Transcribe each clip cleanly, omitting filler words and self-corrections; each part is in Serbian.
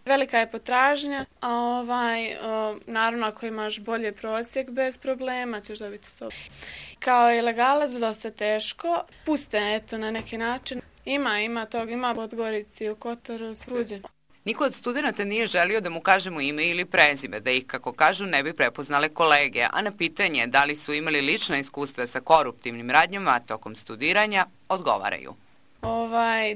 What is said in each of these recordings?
Velika je potražnja, a naravno ako imaš bolje prosjek bez problema ćeš dobiti sobu. Kao ilegalac dosta teško, puste eto na neki način. Ima toga, ima u Podgorici, u Kotoru, svuđe. Niko od studenta nije želio da mu kažemo ime ili prezime, da ih, kako kažu, ne bi prepoznale kolege, a na pitanje da li su imali lična iskustva sa koruptivnim radnjama tokom studiranja, odgovaraju.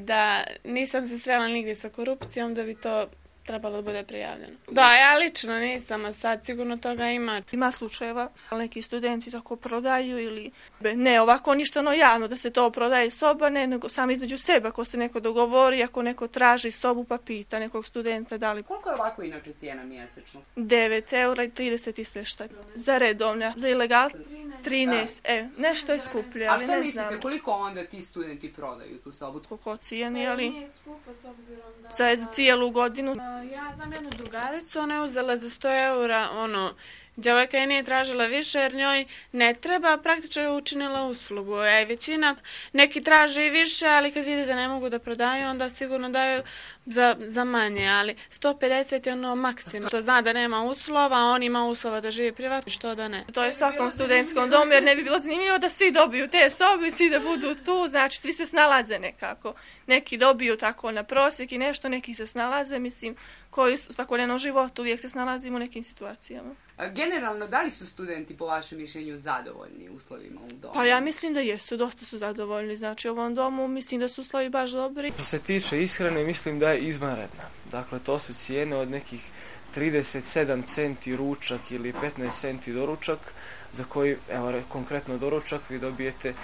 Da nisam se srela nigdje sa korupcijom, da bi to trebalo da bude prijavljeno. Da, ja lično nisam, a sad sigurno toga ima. Ima slučajeva, neki studenti tako prodaju ili ne ovako ništa javno da se to prodaje soba, ne, nego sam između sebe, ako se neko dogovori, ako neko traži sobu pa pita nekog studenta da li... Koliko je ovako inače cijena mjesečno? 9 eura i 30 i smještaj. Za redovne, za ilegal 13, nešto je skuplje, ali ne znam. A što mislite, koliko onda ti studenti prodaju tu sobu? Koliko cijeni, ali... Nije skupo s obzirom da... Za cijelu godinu. Ja znam jednu drugaricu, ona je uzela za 100 eura, djevojka je nije tražila više jer njoj ne treba, praktično je učinila uslugu. Većina, neki traže i više, ali kad vidi da ne mogu da prodaju, onda sigurno daju za manje, ali 150 je maksimum. To zna da nema uslova, a on ima uslova da živi privatno, što da ne. To je svakom studentskom domu, jer ne bi bilo zanimljivo da svi dobiju te sobe, svi da budu tu, znači svi se snalaze nekako. Neki dobiju tako na prosjek i nešto, neki se snalaze, mislim, koji u svakodnevnom životu uvijek se snalazimo u nekim situacijama. Generalno, da li su studenti po vašem mišljenju zadovoljni uslovima u domu? Pa ja mislim da jesu, dosta su zadovoljni. Znači u ovom domu mislim da su uslovi baš dobri. Što se tiče ishrane, mislim da je izvanredna. Dakle, to su cijene od nekih 37 centi ručak ili 15 centi doručak, za koji, evo konkretno doručak, vi dobijete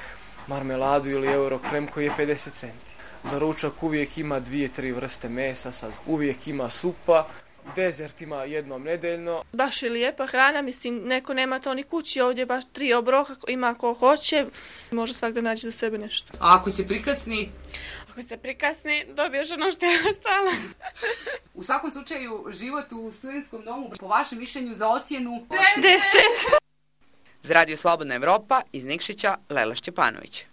marmeladu ili eurokrem koji je 50 centi. Za ručak uvijek ima 2-3 vrste mesa, uvijek ima supa, dezert ima jednom nedeljno. Baš je lijepa hrana, mislim, neko nema to ni kući, ovdje baš 3 obroka, ima ko hoće, može svak da nađe za sebe nešto. A ako se prikasni? Ako se prikasni, dobiješ ono što je ostalo. U svakom slučaju, život u studentskom domu, po vašem mišljenju, za ocjenu... 10. Za Radio Slobodna Evropa, iz Nikšića, Lela Šćepanović.